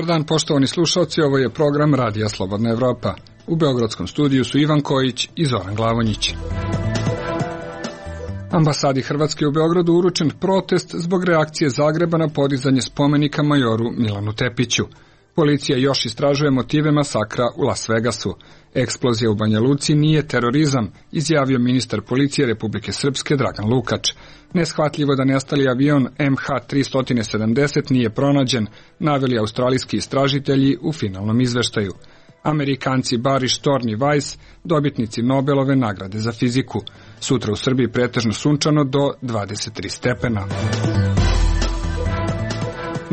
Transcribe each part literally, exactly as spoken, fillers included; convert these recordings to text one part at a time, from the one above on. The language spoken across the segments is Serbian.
Dobar dan, poštovani slušalci, ovo je program Radija Slobodna Evropa. U beogradskom studiju su Ivan Kojić i Zoran Glavonjić. Ambasadi Hrvatske u Beogradu uručen protest zbog reakcije Zagreba na podizanje spomenika majoru Milanu Tepiću. Policija još istražuje motive masakra u Las Vegasu. Eksplozija u Banja Luci nije terorizam, izjavio ministar policije Republike Srpske Dragan Lukač. Neshvatljivo da nestali avion M H tristo sedamdeset nije pronađen, naveli australijski istražitelji u finalnom izveštaju. Amerikanci Bariš, Thorn i Weiss, dobitnici Nobelove nagrade za fiziku. Sutra u Srbiji pretežno sunčano do dvadeset tri stepena.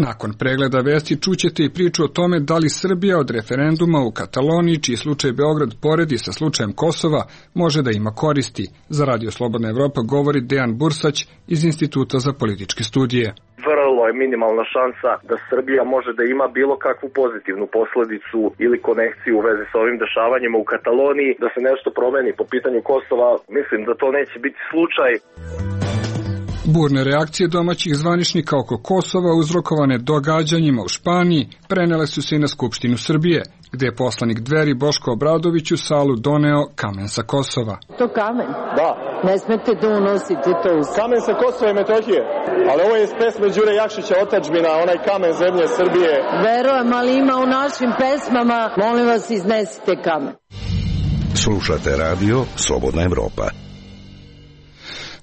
Nakon pregleda vesti čućete i priču o tome da li Srbija od referenduma u Kataloniji, čiji slučaj Beograd poredi sa slučajem Kosova, može da ima koristi. Za Radio Slobodna Evropa govori Dejan Bursać iz Instituta za političke studije. Vrlo je minimalna šansa da Srbija može da ima bilo kakvu pozitivnu posledicu ili konekciju u vezi sa ovim dešavanjima u Kataloniji, da se nešto promeni po pitanju Kosova. Mislim da to neće biti slučaj. Burne reakcije domaćih zvaničnika oko Kosova uzrokovane događanjima u Španiji prenele su se i na Skupštinu Srbije, gde je poslanik Dveri Boško Obradović u salu doneo kamen sa Kosova. To kamen? Da. Ne smete da unosite to u... Kamen sa Kosova i Metohije, ali ovo je iz pesme Đure Jakšića Otadžbina, onaj kamen zemlje Srbije. Verujem, ali ima u našim pesmama, molim vas iznesite kamen. Slušate radio Slobodna Evropa.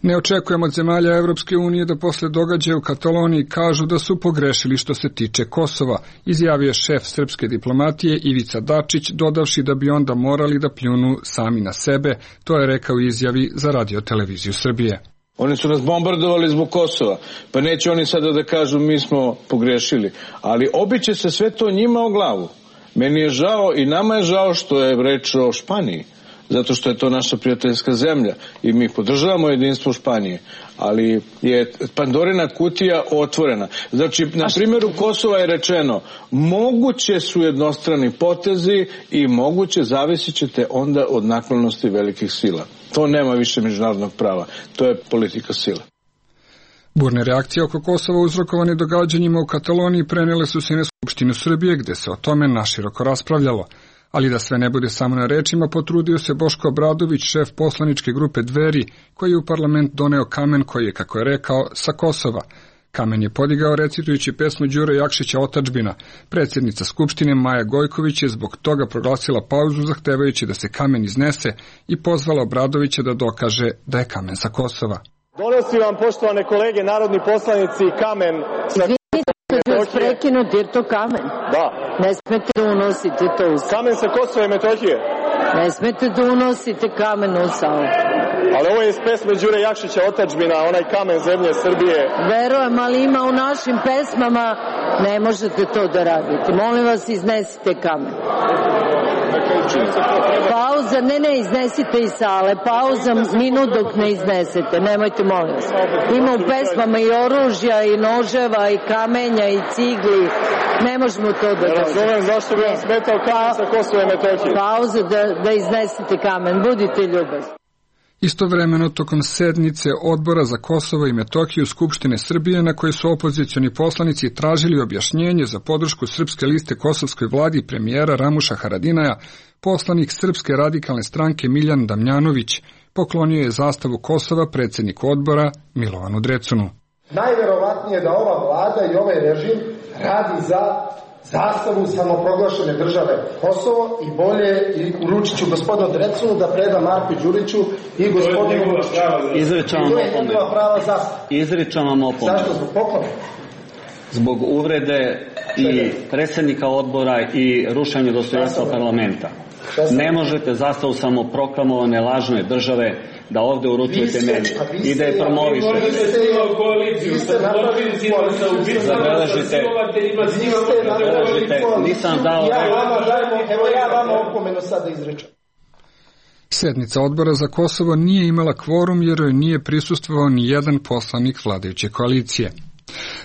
Ne očekujemo od zemalja Evropske unije da posle događaja u Kataloniji kažu da su pogrešili što se tiče Kosova, izjavio šef srpske diplomatije Ivica Dačić, dodavši da bi onda morali da pljunu sami na sebe, to je rekao u izjavi za Radio televiziju Srbije. Oni su nas bombardovali zbog Kosova, pa neće oni sada da kažu mi smo pogrešili, ali obiće se sve to njima o glavu. Meni je žao i nama je žao što je reč o Španiji, zato što je to naša prijateljska zemlja i mi podržavamo jedinstvo Španije, ali je Pandorina kutija otvorena. Znači, na primjeru Kosova je rečeno, moguće su jednostrani potezi i moguće zavisit ćete onda od naklonosti velikih sila. To nema više međunarodnog prava, to je politika sile. Burne reakcije oko Kosova uzrokovane događanjima u Kataloniji prenele su se na Skupštinu Srbije, gde se o tome naširoko raspravljalo. Ali da sve ne bude samo na rečima, potrudio se Boško Obradović, šef poslaničke grupe Dveri, koji je u parlament doneo kamen koji je, kako je rekao, sa Kosova. Kamen je podigao recitujući pesmu Đure Jakšića Otadžbina. Predsjednica Skupštine Maja Gojković je zbog toga proglasila pauzu zahtevajući da se kamen iznese i pozvala Obradovića da dokaže da je kamen sa Kosova. Donosi vam, poštovane kolege, narodni poslanici, kamen sa... Izvinite, ću prekinuti, jer to kamen. Da. Ne smete da unosite to u... Kamen sa Kosova i Metohije. Ne smete da unosite kamen u salu. Ali ovo je iz pesme Đure Jakšića Otadžbina, onaj kamen zemlje Srbije. Verujem, ali ima u našim pesmama, ne možete to da radite. Molim vas, iznesite kamen. Pauza, ne, ne, iznesite iz sale. Pauza, minut dok ne iznesete. Nemojte, molim vas. Ima u pesmama i oružja, i noževa, i kamenja, i cigli. Ne možemo to da dođe. Razumem zašto bi vam smetao kamen sa Kosova i Metohije. Pauza da, da iznesete kamen. Budite ljubazni. Istovremeno, tokom sednice Odbora za Kosovo i Metohiju Skupštine Srbije, na kojoj su opozicioni poslanici tražili objašnjenje za podršku Srpske liste kosovskoj vladi premijera Ramuša Haradinaja, poslanik Srpske radikalne stranke Miljan Damjanović poklonio je zastavu Kosova predsjedniku odbora Milovanu Drecunu. Najverovatnije da ova vlada i ovaj režim radi za zastavu samoproglašene države Kosovo i bolje i uručit ću gospodinu Drecunu da preda Marku Đuriću i gospodinu Vučiću. Izričam vam opomenu. Izričam vam opomenu. Zašto? Zbog poklona? Zbog uvrede i predsjednika odbora i rušenja dostojanstva parlamenta. Ne možete zastavu samoproklamovane lažne države da ovde uručujete meni i da je promovišete. Vi ste napravili koaliciju. Zabeležite. Zabeležite. Nisam dao... Evo ja vama opomenu sada izrečem. Sednica odbora za Kosovo nije imala kvorum jer joj nije prisustvovao ni jedan poslanik vladajuće koalicije.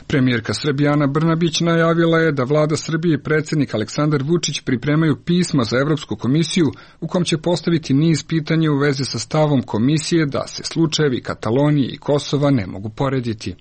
Premijerka Srbije Ana Brnabić najavila je da vlada Srbije i predsjednik Aleksandar Vučić pripremaju pismo za Evropsku komisiju u kom će postaviti niz pitanja u vezi sa stavom komisije da se slučajevi Katalonije i Kosova ne mogu porediti.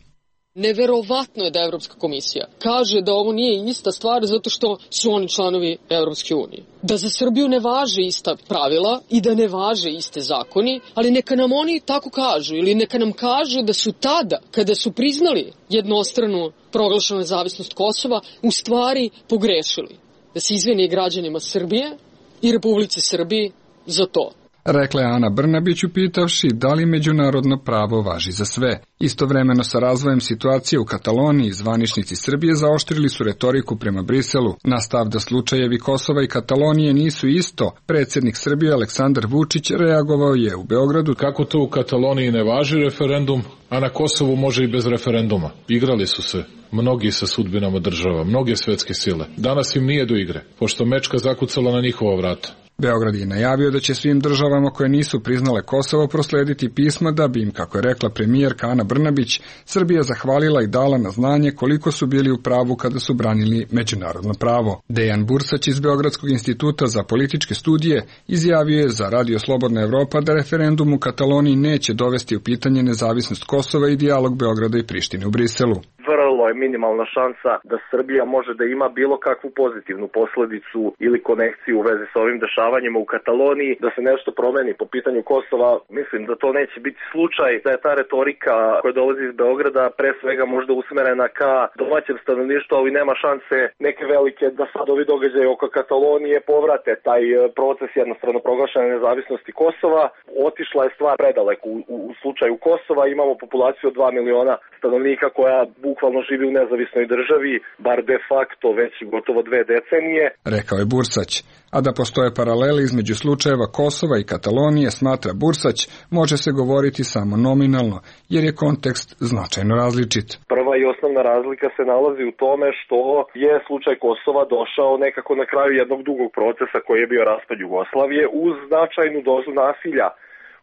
Neverovatno je da Evropska komisija kaže da ovo nije ista stvar zato što su oni članovi Evropske unije. Da za Srbiju ne važe ista pravila i da ne važe iste zakoni, ali neka nam oni tako kažu ili neka nam kažu da su tada, kada su priznali jednostranu proglašenu nezavisnost Kosova, u stvari pogrešili. Da se izvini građanima Srbije i Republici Srbiji za to. Rekla je Ana Brnabić upitavši da li međunarodno pravo važi za sve. Istovremeno sa razvojem situacije u Kataloniji, zvaničnici Srbije zaoštrili su retoriku prema Briselu. Na stav da slučajevi Kosova i Katalonije nisu isto, predsjednik Srbije Aleksandar Vučić reagovao je u Beogradu. Kako to u Kataloniji ne važi referendum, a na Kosovu može i bez referenduma. Igrali su se mnogi sa sudbinama država, mnoge svetske sile. Danas im nije do igre, pošto mečka zakucala na njihova vrata. Beograd je najavio da će svim državama koje nisu priznale Kosovo proslediti pisma da bi im, kako je rekla premijerka Ana Brnabić, Srbija zahvalila i dala na znanje koliko su bili u pravu kada su branili međunarodno pravo. Dejan Bursać iz Beogradskog instituta za političke studije izjavio je za Radio Slobodna Evropa da referendum u Kataloniji neće dovesti u pitanje nezavisnost Kosova i dijalog Beograda i Prištine u Briselu. Vrlo je minimalna šansa da Srbija može da ima bilo kakvu pozitivnu posledicu ili konekciju u vezi sa ovim dešavanjima u Kataloniji, da se nešto promeni po pitanju Kosova. Mislim da to neće biti slučaj, da je ta retorika koja dolazi iz Beograda pre svega možda usmerena ka domaćem stanovništvu, ali nema šanse neke velike da sad ovi događaje oko Katalonije povrate taj proces jednostrano proglašene nezavisnosti Kosova. Otišla je stvar predaleko. U, u, u slučaju Kosova imamo populaciju od dva miliona stanovnika koja bukvalno živi u nezavisnoj državi, bar de facto već gotovo dve decenije. Rekao je Bursać. A da postoje paralele između slučajeva Kosova i Katalonije, smatra Bursać, može se govoriti samo nominalno, jer je kontekst značajno različit. Prva i osnovna razlika se nalazi u tome što je slučaj Kosova došao nekako na kraju jednog dugog procesa koji je bio raspad Jugoslavije uz značajnu dozu nasilja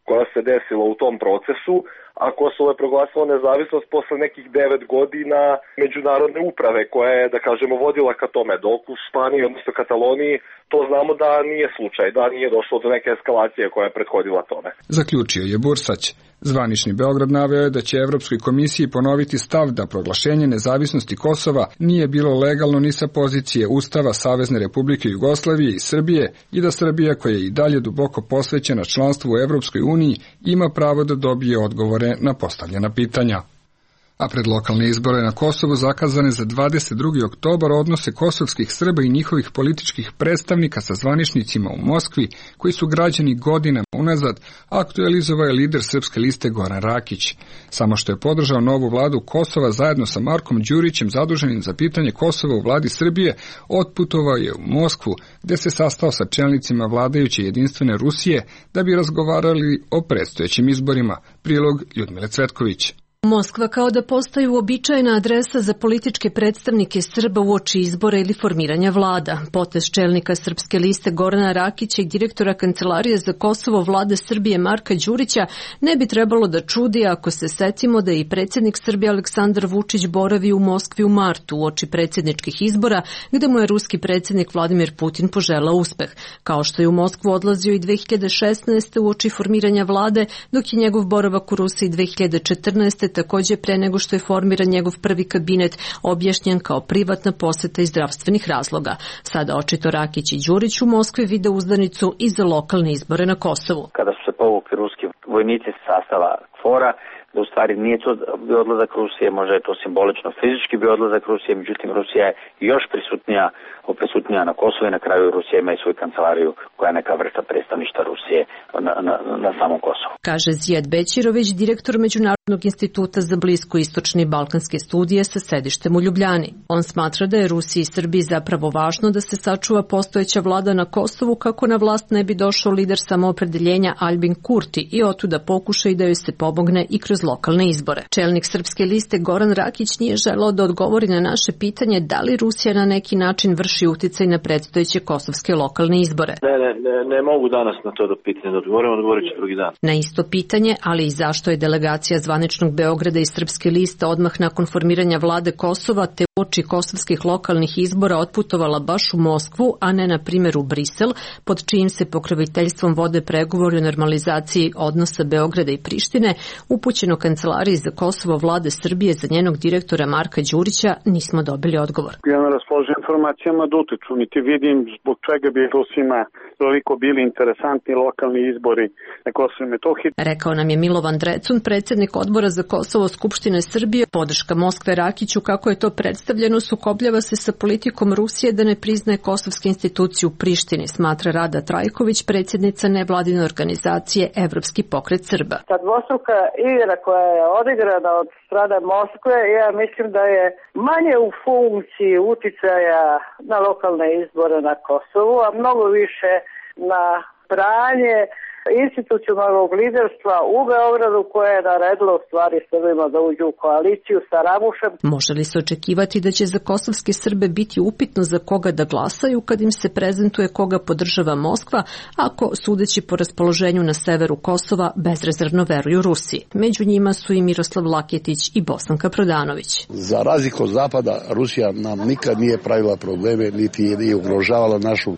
koja se desila u tom procesu, a Kosovo je proglasilo nezavisnost posle nekih devet godina međunarodne uprave koja je, da kažemo, vodila ka tome, dok u Španiji, odnosno Kataloniji, to znamo da nije slučaj, da nije došlo do neke eskalacije koja je prethodila tome. Zaključio je Bursać. Zvanični Beograd naveo je da će Evropskoj komisiji ponoviti stav da proglašenje nezavisnosti Kosova nije bilo legalno ni sa pozicije Ustava Savezne Republike Jugoslavije i Srbije i da Srbija, koja je i dalje duboko posvećena članstvu u Evropskoj uniji, ima pravo da dobije odgovore na postavljena pitanja. A pred lokalne izbore na Kosovu zakazane za dvadeset drugi oktobar odnose kosovskih Srba i njihovih političkih predstavnika sa zvaničnicima u Moskvi, koji su građani godinama unazad, aktualizovao je lider Srpske liste Goran Rakić. Samo što je podržao novu vladu Kosova zajedno sa Markom Đurićem, zaduženim za pitanje Kosova u vladi Srbije, otputovao je u Moskvu, gde se sastao sa čelnicima vladajuće jedinstvene Rusije da bi razgovarali o predstojećim izborima. Prilog Ljudmile Cvetković. Moskva kao da postaje uobičajena adresa za političke predstavnike Srba uoči izbora ili formiranja vlada. Potez čelnika Srpske liste Gorana Rakića i direktora Kancelarije za Kosovo vlade Srbije Marka Đurića ne bi trebalo da čudi ako se setimo da je i predsjednik Srbije Aleksandar Vučić boravi u Moskvi u martu uoči predsjedničkih izbora, gde mu je ruski predsjednik Vladimir Putin poželao uspeh. Kao što je u Moskvu odlazio i dve hiljade šesnaeste uoči formiranja vlade, dok je njegov boravak u Rusiji dve hiljade četrnaeste također pre nego što je formiran njegov prvi kabinet objašnjen kao privatna poseta iz zdravstvenih razloga. Sada očito Rakić i Đurić u Moskvi vide uzdanicu i za lokalne izbore na Kosovu. Kada su se povukli ruski vojnici sa sastava KFOR-a, da u stvari nije to bio odlazak Rusije, možda je to simbolično fizički bio odlazak Rusije, međutim Rusija je još prisutnija, prisutnija na Kosovu i na kraju Rusija ima i svoju kancelariju koja je neka vrsta predstavništva Rusije na, na, na samom Kosovu. Kaže Zijad Bećirović, direktor Međunarodnog instituta za blisko-istočne i balkanske studije sa sedištem u Ljubljani. On smatra da je Rusiji i Srbiji zapravo važno da se sačuva postojeća vlada na Kosovu kako na vlast ne bi došao lider samoopredeljenja Albin Kurti i otuda pokuša i da joj se pomogne i kroz lokalne izbore. Čelnik Srpske liste Goran Rakić nije želeo da odgovori na naše pitanje da li Rusija na neki način vrši uticaj na predstojeće kosovske lokalne izbore. Ne, ne, ne, ne mogu danas na to da pitanje da odgovorim, odgovorit ću drugi dan. Na isto pitanje, ali i zašto je delegacija zvaničnog Beograda i Srpske liste odmah nakon formiranja vlade Kosova te uoči kosovskih lokalnih izbora otputovala baš u Moskvu, a ne na primjer u Brisel, pod čijim se pokroviteljstvom vode pregovori o normalizaciji odnosa Beograda i Prištine, upućeno u Kancelariji za Kosovo vlade Srbije za njenog direktora Marka Đurića nismo dobili odgovor. Ja ne raspoložim informacijama da utiču, niti vidim zbog čega bi Rusima toliko bili interesantni lokalni izbori na Kosovo i Metohiji. Rekao nam je Milovan Drecun, predsjednik odbora za Kosovo Skupštine Srbije. Podrška Moskve Rakiću, kako je to predstavljeno, sukobljava se sa politikom Rusije da ne priznaje kosovske institucije u Prištini, smatra Rada Trajković, predsjednica nevladine organizacije Evropski pokret Srba. Ta dvostruka igra koja je odigrana od strane Moskve, ja mislim da je manje u funkciji uticaja na lokalne izbore na Kosovu, a mnogo više na pranje institucionalnog liderstva u Beogradu koje je naredilo u stvari Srbima da uđu u koaliciju sa Ramušem. Može li se očekivati da će za kosovske Srbe biti upitno za koga da glasaju kad im se prezentuje koga podržava Moskva, ako, sudeći po raspoloženju na severu Kosova, bezrezervno veruju Rusiji? Među njima su i Miroslav Laketić i Bosanka Prodanović. Za razliku od Zapada, Rusija nam nikad nije pravila probleme, niti je ugrožavala našu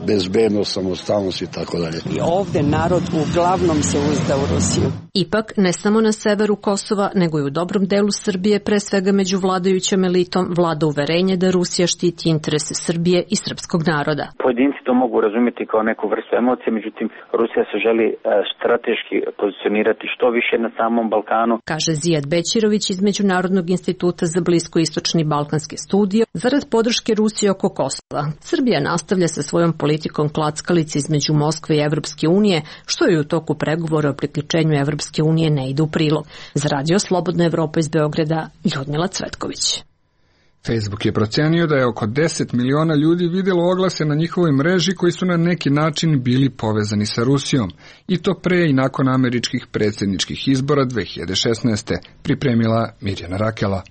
bezbednost, samostalnost i tako dalje. I ovde narod uglavnom se uzda u Rusiju. Ipak, ne samo na severu Kosova, nego i u dobrom delu Srbije, pre svega među vladajućom elitom, vlada uverenje da Rusija štiti interese Srbije i srpskog naroda. Pojedinci to mogu razumjeti kao neku vrstu emocije, međutim, Rusija se želi strateški pozicionirati što više na samom Balkanu. Kaže Zijad Bećirović iz Međunarodnog instituta za bliskoistočni balkanske studije, zarad podrške Rusije oko Kosova. Srbija nastavlja sa svojom politikom klackalice između Moskve i Evropske unije, što je u toku pregovora o priključenju Evropske unije ne ide u prilog. Za Radio Slobodna Evropa iz Beograda, Ljudmila Cvetković. Facebook je procenio da je oko deset miliona ljudi vidjelo oglase na njihovoj mreži koji su na neki način bili povezani sa Rusijom, i to pre i nakon američkih predsjedničkih izbora dve hiljade šesnaeste, pripremila Mirjana Rakela.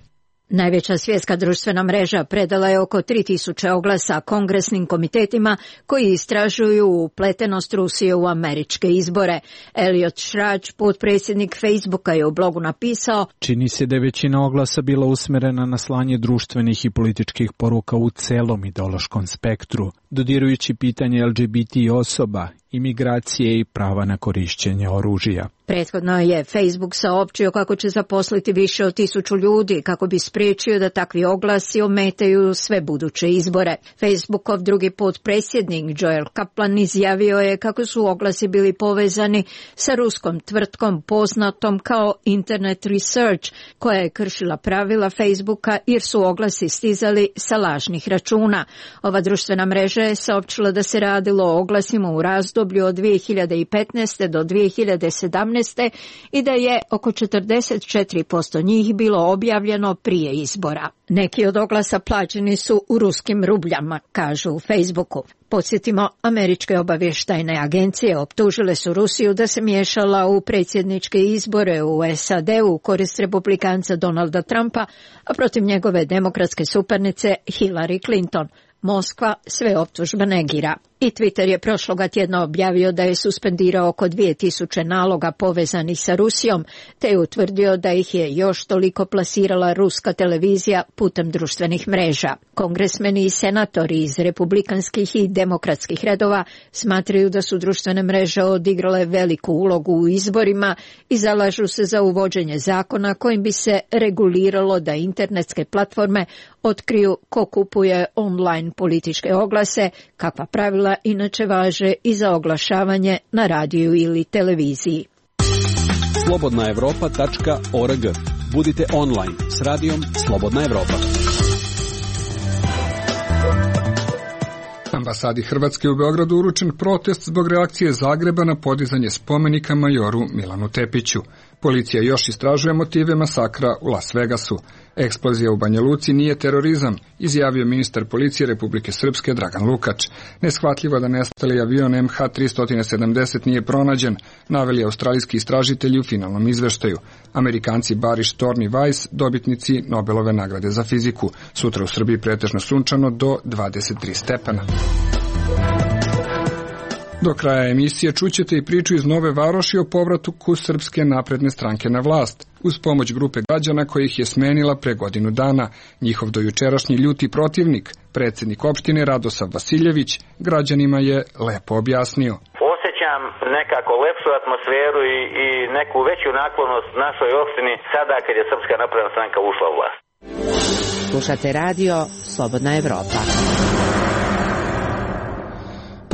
Najveća svjetska društvena mreža predala je oko tri tisuće oglasa kongresnim komitetima koji istražuju upletenost Rusije u američke izbore. Elliot Scratch, potpredsjednik Facebooka, je u blogu napisao: čini se da je većina oglasa bila usmerena na slanje društvenih i političkih poruka u celom ideološkom spektru, dodirujući pitanje L G B T osoba, imigracije i prava na korišćenje oružja. Prethodno je Facebook saopćio kako će zaposliti više od tisuću ljudi kako bi spriječio da takvi oglasi ometaju sve buduće izbore. Facebookov drugi potpredsjednik Joel Kaplan izjavio je kako su oglasi bili povezani sa ruskom tvrtkom poznatom kao Internet Research, koja je kršila pravila Facebooka jer su oglasi stizali sa lažnih računa. Ova društvena mreža je saopćila da se radilo o oglasima u razdoblju od dvije hiljade petnaeste do dvije hiljade sedamnaeste i da je oko četrdeset četiri posto njih bilo objavljeno prije izbora. Neki od oglasa plaćeni su u ruskim rubljama, kažu u Facebooku. Podsjetimo, američke obavještajne agencije optužile su Rusiju da se miješala u predsjedničke izbore u S A D u korist republikanca Donalda Trumpa, a protiv njegove demokratske suparnice Hillary Clinton. Moskva sve optužbe negira. I Twitter je prošloga tjedna objavio da je suspendirao oko dvije tisuće naloga povezanih sa Rusijom, te je utvrdio da ih je još toliko plasirala ruska televizija putem društvenih mreža. Kongresmeni i senatori iz republikanskih i demokratskih redova smatraju da su društvene mreže odigrale veliku ulogu u izborima i zalažu se za uvođenje zakona kojim bi se reguliralo da internetske platforme otkriju ko kupuje online političke oglase, kakva pravila inače važe i za oglašavanje na radiju ili televiziji. slobodna evropa tačka org. Budite online s radijom Slobodna Evropa. Ambasadi Hrvatske u Beogradu uručen protest zbog reakcije Zagreba na podizanje spomenika majoru Milanu Tepiću. Policija još istražuje motive masakra u Las Vegasu. Eksplozija u Banja Luci nije terorizam, izjavio ministar policije Republike Srpske Dragan Lukač. Neshvatljivo da nestali avion M H tri sedamdeset nije pronađen, naveli australijski istražitelji u finalnom izveštaju. Amerikanci Bariš, Thorne i Weiss, dobitnici Nobelove nagrade za fiziku. Sutra u Srbiji pretežno sunčano do dvadeset tri stepena. Do kraja emisije čućete i priču iz Nove Varoši o povratu Srpske napredne stranke na vlast, uz pomoć grupe građana kojih je smenila pre godinu dana. Njihov dojučerašnji ljuti protivnik, predsjednik opštine Radosav Vasiljević, građanima je lepo objasnio. Osjećam sanjam nekako lepšu atmosferu i, i neku veću naklonost našoj opštini sada kad je Srpska napredna stranka ušla u vlast. Slušate radio Slobodna Evropa.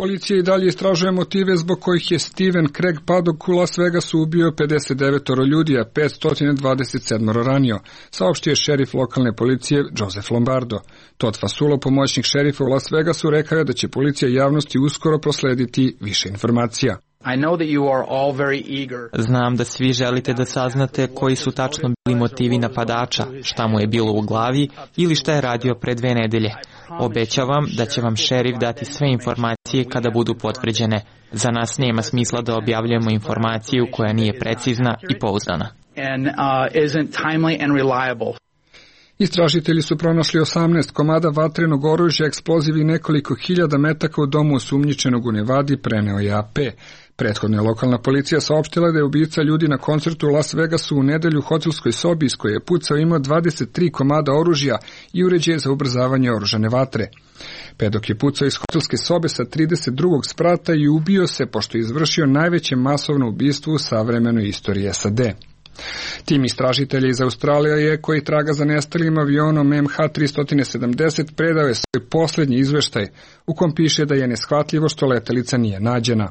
Policija i dalje istražuje motive zbog kojih je Steven Craig Paddock u Las Vegasu ubio pedeset devet ljudi, a petsto dvadeset sedam ranio, saopštio je šerif lokalne policije Joseph Lombardo. Todd Fasulo, pomoćnik šerifa u Las Vegasu, rekao je da će policija javnosti uskoro proslediti više informacija. Znam da svi želite da saznate koji su tačno bili motivi napadača, šta mu je bilo u glavi ili šta je radio pre dve nedelje. Obećavam da će vam šerif dati sve informacije kada budu potvrđene. Za nas nema smisla da objavljujemo informaciju koja nije precizna i pouzdana. Istražitelji su pronašli osamnaest komada vatrenog oružja, eksplozivi i nekoliko hiljada metaka u domu osumnjičenog u Nevadi, preneo je A P. Prethodno je lokalna policija saopštila da je ubica ljudi na koncertu u Las Vegasu u nedelju u hotelskoj sobi iz koje je pucao imao dvadeset tri komada oružja i uređaje za ubrzavanje oružane vatre. Pedok je pucao iz hotelske sobe sa trideset drugog sprata i ubio se pošto je izvršio najveće masovno ubistvo u savremenoj istoriji S A D. Tim istražitelja iz Australije koji traga za nestalim avionom M H tri sedamdeset predao je svoj posljednji izveštaj u kom piše da je neshvatljivo što letelica nije nađena.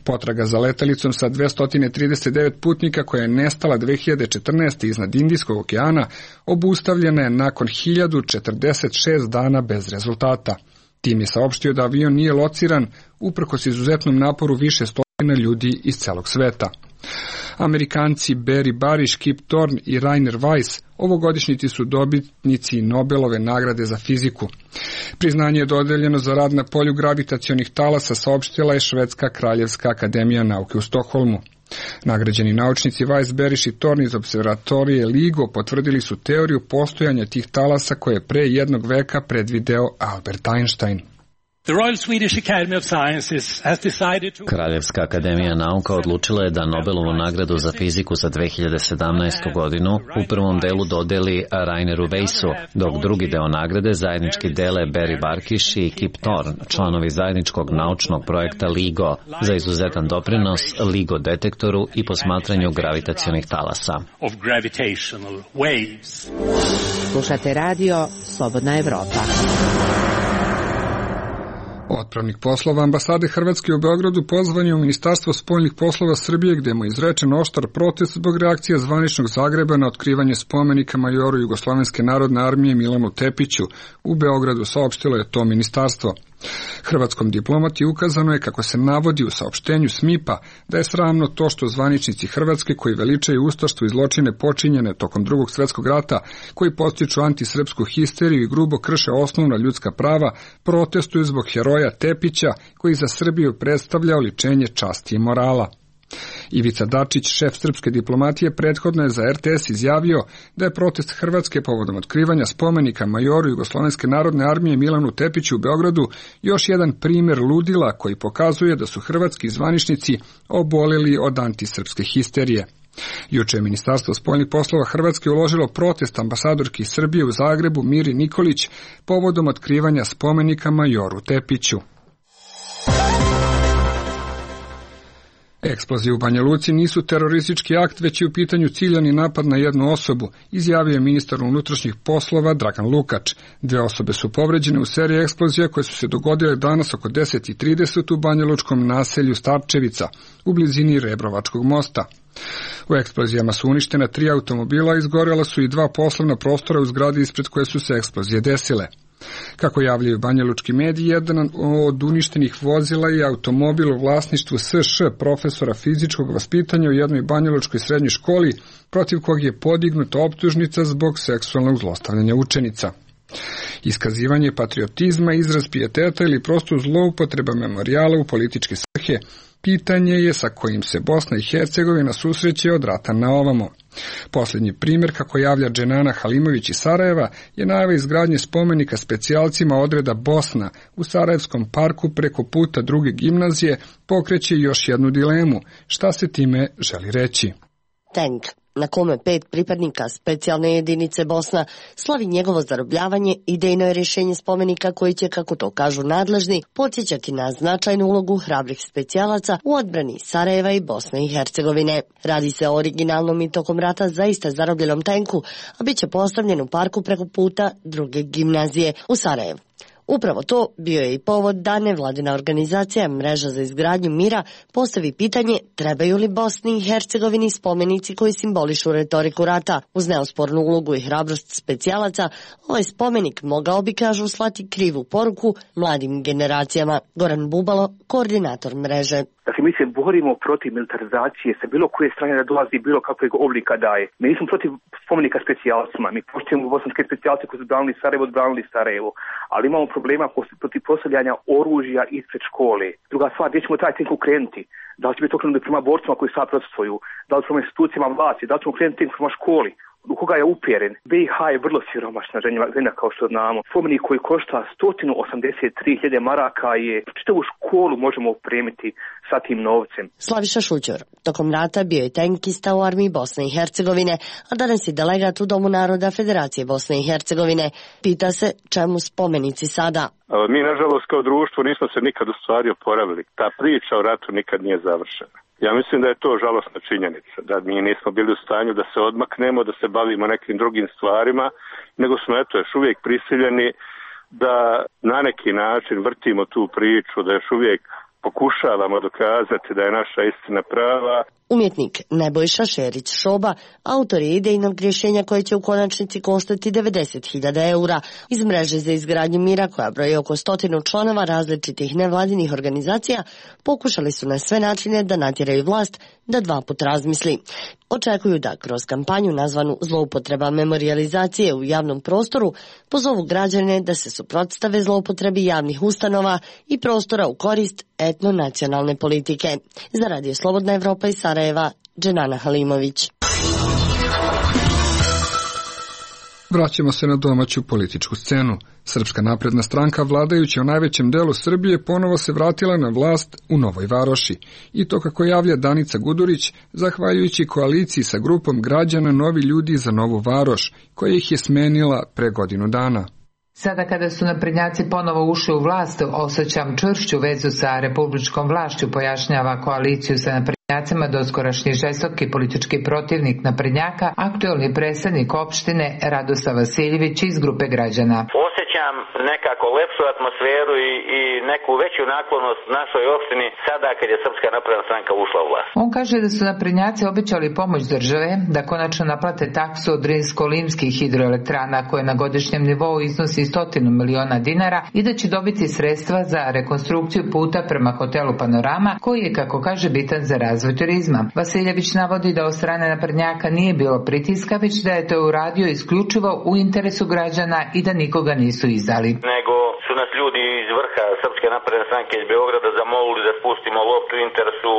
Potraga za letelicom sa dvesta trideset devet putnika koja je nestala dve hiljade četrnaeste. iznad Indijskog okeana obustavljena je nakon hiljadu četrdeset šest dana bez rezultata. Tim je saopštio da avion nije lociran uprkos izuzetnom naporu više stotina ljudi iz celog sveta. Amerikanci Barry Barish, Kip Thorne i Rainer Weiss ovogodišnjici su dobitnici Nobelove nagrade za fiziku. Priznanje je dodeljeno za rad na polju gravitacionih talasa, saopštila je Švedska kraljevska akademija nauke u Stokholmu. Nagrađeni naučnici Weiss, Barish i Thorne iz observatorije LIGO potvrdili su teoriju postojanja tih talasa koje je pre jednog veka predvideo Albert Einstein. Kraljevska akademija nauka odlučila je da Nobelovu nagradu za fiziku za dve hiljade sedamnaestu. godinu u prvom delu dodeli Raineru Weissu, dok drugi deo nagrade zajednički dele Barry Barkish i Kip Thorne, članovi zajedničkog naučnog projekta LIGO, za izuzetan doprinos LIGO detektoru i posmatranju gravitacionih talasa. Slušate radio Slobodna Evropa. Otpravnik poslova ambasade Hrvatske u Beogradu pozvan je u Ministarstvo spoljnih poslova Srbije gde mu je izrečen oštar protest zbog reakcije zvaničnog Zagreba na otkrivanje spomenika majoru Jugoslovenske narodne armije Milanu Tepiću. U Beogradu saopštilo je to ministarstvo. Hrvatskom diplomati ukazano je, kako se navodi u saopštenju S M I P-a, da je sramno to što zvaničnici Hrvatske koji veličaju ustaštvo i zločine počinjene tokom drugog svjetskog rata, koji podstiču antisrpsku histeriju i grubo krše osnovna ljudska prava, protestuju zbog heroja Tepića koji za Srbiju predstavlja oličenje časti i morala. Ivica Dačić, šef srpske diplomatije, prethodno je za R T S izjavio da je protest Hrvatske povodom otkrivanja spomenika majoru Jugoslovenske narodne armije Milanu Tepiću u Beogradu još jedan primjer ludila koji pokazuje da su hrvatski zvaničnici oboleli od antisrpske histerije. Juče je Ministarstvo spoljnih poslova Hrvatske uložilo protest ambasadorki Srbije u Zagrebu Miri Nikolić povodom otkrivanja spomenika majoru Tepiću. Eksplozije u Banja Luci nisu teroristički akt, već je u pitanju ciljani napad na jednu osobu, izjavio je ministar unutrašnjih poslova Dragan Lukač. Dve osobe su povređene u seriji eksplozija koje su se dogodile danas oko deset i trideset u banjalučkom naselju Starčevica, u blizini Rebrovačkog mosta. U eksplozijama su uništena tri automobila, izgorjela su i dva poslovna prostora u zgradi ispred koje su se eksplozije desile. Kako javljaju banjalučki mediji, jedan od uništenih vozila je automobil u vlasništvu S Š, profesora fizičkog vaspitanja u jednoj banjalučkoj srednjoj školi, protiv kog je podignuta optužnica zbog seksualnog zlostavljanja učenica. Iskazivanje patriotizma, izraz pijeteta ili prosto zloupotreba memorijala u političke svrhe pitanje je sa kojim se Bosna i Hercegovina susreće od rata na ovamo. Posljednji primjer, kako javlja Dženana Halimović iz Sarajeva, je najava izgradnje spomenika specijalcima odreda Bosna u Sarajevskom parku preko puta druge gimnazije, pokreće još jednu dilemu. Šta se time želi reći? Tank. na kome pet pripadnika specijalne jedinice Bosna slavi njegovo zarobljavanje, idejno je rješenje spomenika koji će, kako to kažu nadležni, podsjećati na značajnu ulogu hrabrih specijalaca u odbrani Sarajeva i Bosne i Hercegovine. Radi se o originalnom i tokom rata zaista zarobljenom tenku, a bit će postavljen u parku preko puta druge gimnazije u Sarajevu. Upravo to bio je i povod da nevladina organizacija Mreža za izgradnju mira postavi pitanje trebaju li Bosni i Hercegovini spomenici koji simbolišu retoriku rata. Uz neospornu ulogu i hrabrost specijalaca, ovaj spomenik mogao bi, kažu, slati krivu poruku mladim generacijama. Goran Bubalo, koordinator mreže. Dakle, mi se borimo protiv militarizacije sa bilo koje strane da dolazi bilo kakvog oblika daje. Mi nismo protiv spomenika specijalcima, mi poštujemo bosanske specijalce koji su branili Sarajevo, odbranili Sarajevo, ali imamo problema protiv postavljanja oružja ispred škole. Druga stvar, gdje ćemo taj tenk ukrenuti? Da li će biti okrenuti prema borcima koji sad protestvuju? Da li prema institucijama vlasti? Da li ćemo ukrenuti tenk prema školi? U koga je upjeren? B i H je vrlo siromašna zemlja, kao što znamo. Spomenik koji košta sto osamdeset tri hiljade maraka je, čitavu školu možemo opremiti sa tim novcem. Slaviša Šućor, tokom rata bio je tenkista u armiji Bosne i Hercegovine, a danas je delegat u Domu naroda Federacije Bosne i Hercegovine. Pita se čemu spomenici sada. Mi, nažalost, kao društvo nismo se nikad u stvari oporavili. Ta priča o ratu nikad nije završena. Ja mislim da je to žalosna činjenica, da mi nismo bili u stanju da se odmaknemo, da se bavimo nekim drugim stvarima, nego smo eto još uvijek prisiljeni da na neki način vrtimo tu priču, da još uvijek pokušavamo dokazati da je naša istina prava. Umjetnik Nebojša Šerić Šoba autor je idejnog rješenja koje će u konačnici koštati devedeset hiljada eura. Iz Mreže za izgradnju mira, koja broji oko stotinu članova različitih nevladinih organizacija, pokušali su na sve načine da natjeraju vlast da dva put razmisli. Očekuju da kroz kampanju nazvanu zloupotreba memorijalizacije u javnom prostoru pozovu građane da se suprotstave zloupotrebi javnih ustanova i prostora u korist etnonacionalne politike. Za Radio Slobodna Evropa iz Sarajeva, Dženana Halimović. Vraćamo se na domaću političku scenu. Srpska napredna stranka, vladajuća u najvećem delu Srbije, ponovo se vratila na vlast u Novoj Varoši. I to, kako javlja Danica Gudurić, zahvaljujući koaliciji sa grupom građana Novi ljudi za Novu Varoš, koja ih je smenila pre godinu dana. Sada kada su naprednjaci ponovo ušli u vlast, osjećam čvršću vezu sa republičkom vlašću, pojašnjava koaliciju sa naprednjacima doskorašnji žestoki politički protivnik naprednjaka, aktuelni predstavnik opštine Radoslav Vasiljević iz grupe građana. Osjećam nekako lepšu atmosferu i, i neku veću naklonost našoj opštini sada kad je Srpska napredna stranka ušla u vlast. On kaže da su naprednjaci obećali pomoć države, da konačno naplate taksu od Drinsko-Limskih hidroelektrana koje na godišnjem nivou iznosi stotinu miliona dinara i da će dobiti sredstva za rekonstrukciju puta prema hotelu Panorama, koji je, kako kaže, bitan za razvoj turizma. Vasiljević navodi da od strane naprednjaka nije bilo pritiska, već da je to uradio isključivo u interesu građana i da nikoga nisu izdali. Nego su nas ljudi iz vrha Srpske napredne stranke iz Beograda zamolili da spustimo loptu u interesu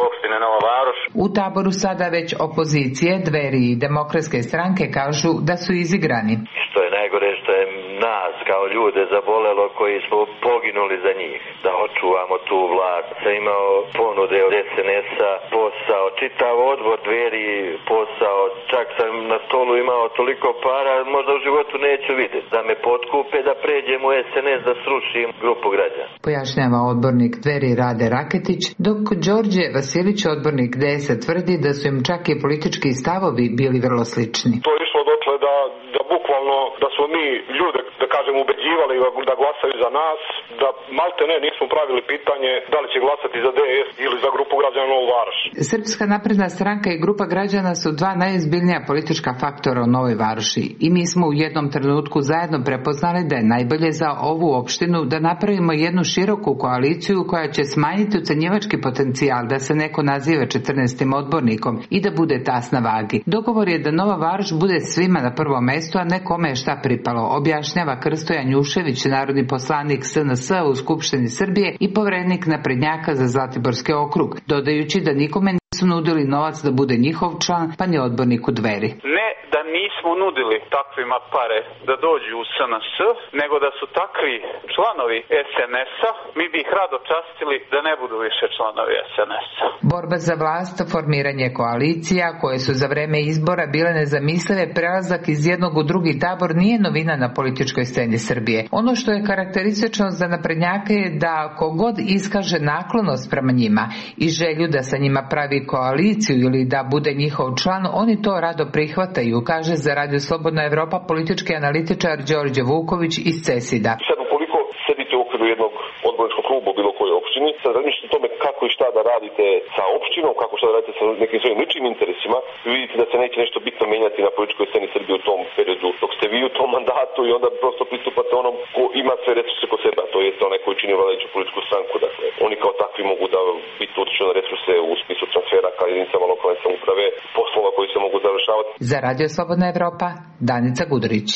opštine Nova Varoš. U taboru sada već opozicije, Dveri i Demokratske stranke kažu da su izigrani. Što je najgore, što je nas kao ljude zabolelo koji smo poginuli za njih, da očuvamo tu vlast. Sam imao ponude od es en es-a, posao, čitav odbor Dveri, posao, čak sam na stolu imao toliko para, možda u životu neću vidjeti, da me potkupe, da pređem u es en es, da srušim grupu građana. Pojašnjava odbornik Dveri Rade Raketić, dok Đorđe Vasilić, odbornik de es a, tvrdi da su im čak i politički stavovi bili vrlo slični. To je išlo dotle da, da bukvalno, da smo mi ljude, da kažem, ubeđivali da glasaju za nas, da malte ne nismo pravili pitanje da li će glasati za de es ili za grupu građana Novu Varoš. Srpska napredna stranka i grupa građana su dva najozbiljnija politička faktora u Novoj Varoši i mi smo u jednom trenutku zajedno prepoznali da je najbolje za ovu opštinu da napravimo jednu široku koaliciju koja će smanjiti ucenjivački potencijal da se neko naziva četrnaestim odbornikom i da bude tas na vagi. Dogovor je da Nova Varoš bude svima na prvom mestu, a ne kome je šta pripalo, objašnjava Krsto Janjušević, narodni poslanik es en es u Skupštini Srbije i povrednik naprednjaka za Zlatiborski okrug, dodajući da nikome nisu nudili novac da bude njihov član, pa ni odbornik u Dveri. Ne da nismo nudili takvima pare da dođu u S N S, nego da su takvi članovi S N S-a, mi bi ih rado častili da ne budu više članovi S N S-a. Borba za vlast, formiranje koalicija koje su za vreme izbora bile nezamislive, prelazak iz jednog u drugi tabor nije novina na političkoj sceni Srbije. Ono što je karakteristično za naprednjake je da kogod iskaže naklonost prema njima i želju da sa njima pravi koaliciju ili da bude njihov član, oni to rado prihvataju, kaže za Radio Slobodna Evropa politički analitičar Đorđe Vuković iz CESID-a. Sad ukoliko sedite u okviru jednog odborničkog kluba u bilo kojoj opštini, sad razmišljate o tome kako i šta da radite sa opštinom, kako šta da radite sa nekim svojim ličnim interesima, vi vidite da se neće nešto bitno menjati na političkoj sceni Srbije u tom periodu dok ste vi u tom mandatu i onda prosto pristupate onom ko ima sve resurse kod sebe, to je onaj koji čini vladajuću političku stranku. Dakle, oni kao takvi mogu da biti utiču na resurse u smislu transfera ka jedinicama lokalne samouprave, poslova koji se mogu završavati. Za Radio Slobodna Evropa, Danica Gudurić.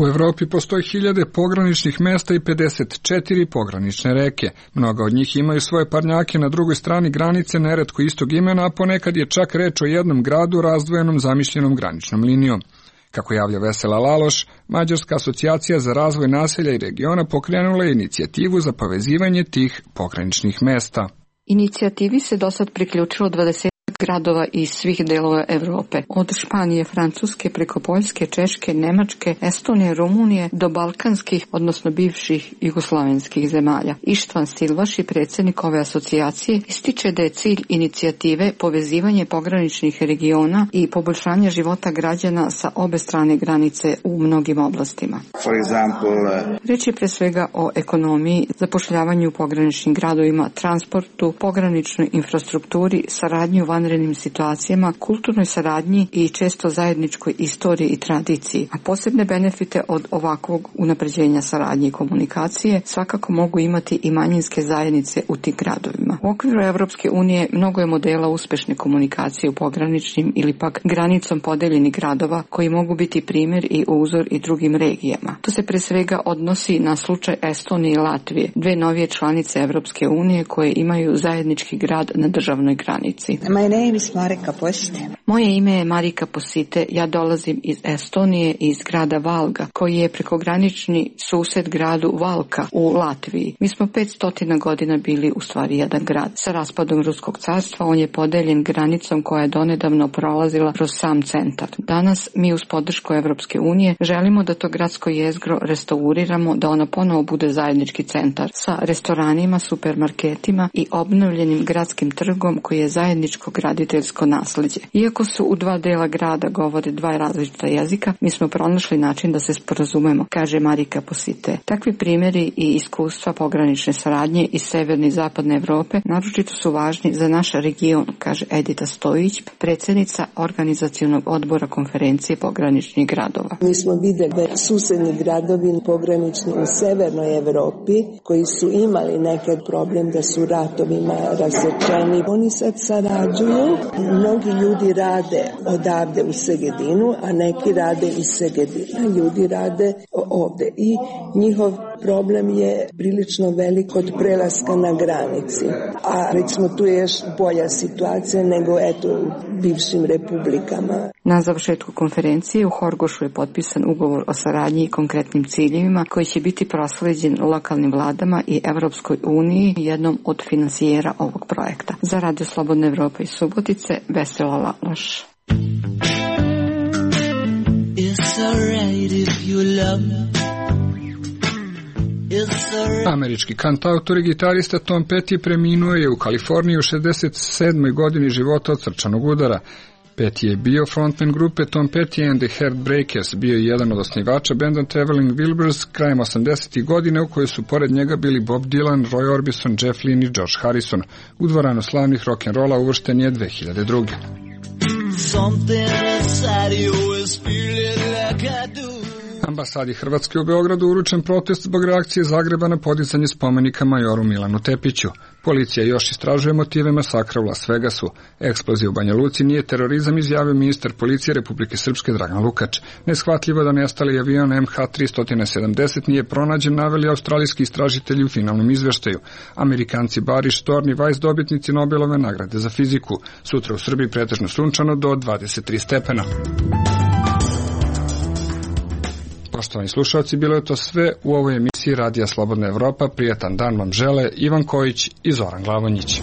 U Evropi postoji hiljade pograničnih mesta i pedeset četiri pogranične reke. Mnoga od njih imaju svoje parnjake na drugoj strani granice, neretko istog imena, a ponekad je čak reč o jednom gradu razdvojenom zamišljenom graničnom linijom. Kako javlja Vesela Laloš, Mađarska asocijacija za razvoj naselja i regiona pokrenula je inicijativu za povezivanje tih pograničnih mesta. Inicijativi se do sad priključilo dvadeset gradova iz svih delova Evrope, od Španije, Francuske, preko Poljske, Češke, Nemačke, Estonije, Rumunije do balkanskih, odnosno bivših jugoslovenskih zemalja. Ištvan Silvaš, predsjednik ove asocijacije, ističe da je cilj inicijative povezivanje pograničnih regiona i poboljšanje života građana sa obe strane granice u mnogim oblastima. For example, Reč je pre svega o ekonomiji, zapošljavanju u pograničnim gradovima, transportu, pograničnoj infrastrukturi, saradnji u vanrednim situacijama, kulturnoj saradnji i često zajedničkoj istoriji i tradiciji. A posebne benefite od ovakvog unapređenja saradnje i komunikacije svakako mogu imati i manjinske zajednice u tim gradovima. U okviru Evropske unije mnogo je modela uspešne komunikacije u pograničnim ili pak granicom podeljenih gradova koji mogu biti primjer i uzor i drugim regijama. To se pre svega odnosi na slučaj Estonije i Latvije, dve novije članice Evropske unije koje imaju zajednički grad na državnoj granici. My name is Marika Posite. Moje ime je Marika Posite, ja dolazim iz Estonije i iz grada Valga, koji je prekogranični sused gradu Valka u Latviji. Mi smo petsto godina bili u stvari jedan grad. Sa raspadom Ruskog carstva on je podeljen granicom koja je donedavno prolazila kroz sam centar. Danas mi uz podršku Evropske unije želimo da to gradsko jezgro restauriramo, da ono ponovo bude zajednički centar sa restoranima, supermarketima i obnovljenim gradskim trgom koji je zajedničko graditeljsko nasleđe. Iako su u dva dela grada govore dva različita jezika, mi smo pronašli način da se sporazumemo, kaže Marika Posite. Takvi primjeri i iskustva pogranične saradnje iz severne i zapadne Evrope naročito su važni za naš region, kaže Edita Stojić, predsjednica organizacionog odbora konferencije pograničnih gradova. Mi smo vidjeli da susedni gradovi pogranični u severnoj Evropi koji su imali nekad problem da su ratovima rasečeni. Oni sad sarađuju, mnogi ljudi rade odavde u Segedinu, a neki rade iz Segedina, ljudi rade ovde i njihov problem je prilično velik od prelaska na granici. A recimo tu je još bolja situacija nego eto u bivšim republikama. Na završetku konferencije u Horgošu je potpisan ugovor o saradnji i konkretnim ciljevima koji će biti prosleđen lokalnim vladama i Evropskoj uniji, jednom od finansijera ovog projekta. Za Radio Slobodna Evropa iz Subotice, Vesela Laloš. Američki kantautor i gitarista Tom Petty preminuo je u Kaliforniji u šezdeset sedmoj godini života od srčanog udara. Petty je bio frontman grupe Tom Petty and the Heartbreakers, bio je jedan od osnivača benda Traveling Wilburys krajem osamdesetih godina u kojoj su pored njega bili Bob Dylan, Roy Orbison, Jeff Lynne i George Harrison. U dvoranu slavnih rock'n'rolla uvršten je dve hiljade druge. Ambasadi Hrvatske u Beogradu uručen protest zbog reakcije Zagreba na podizanje spomenika majoru Milanu Tepiću. Policija još istražuje motive masakra u Las Vegasu. Eksplozija u Banja Luci nije terorizam, izjavio ministar policije Republike Srpske Dragan Lukač. Neshvatljivo da nestali avion M H tri sedamdeset nije pronađen, naveli australijski istražitelji u finalnom izveštaju. Amerikanci Bariš, Thorne i Weiss dobitnici Nobelove nagrade za fiziku. Sutra u Srbiji pretežno sunčano do dvadeset tri stepena. Poštovani slušalci, bilo je to sve u ovoj emisiji Radija Slobodna Evropa. Prijatan dan vam žele Ivan Kojić i Zoran Glavonjić.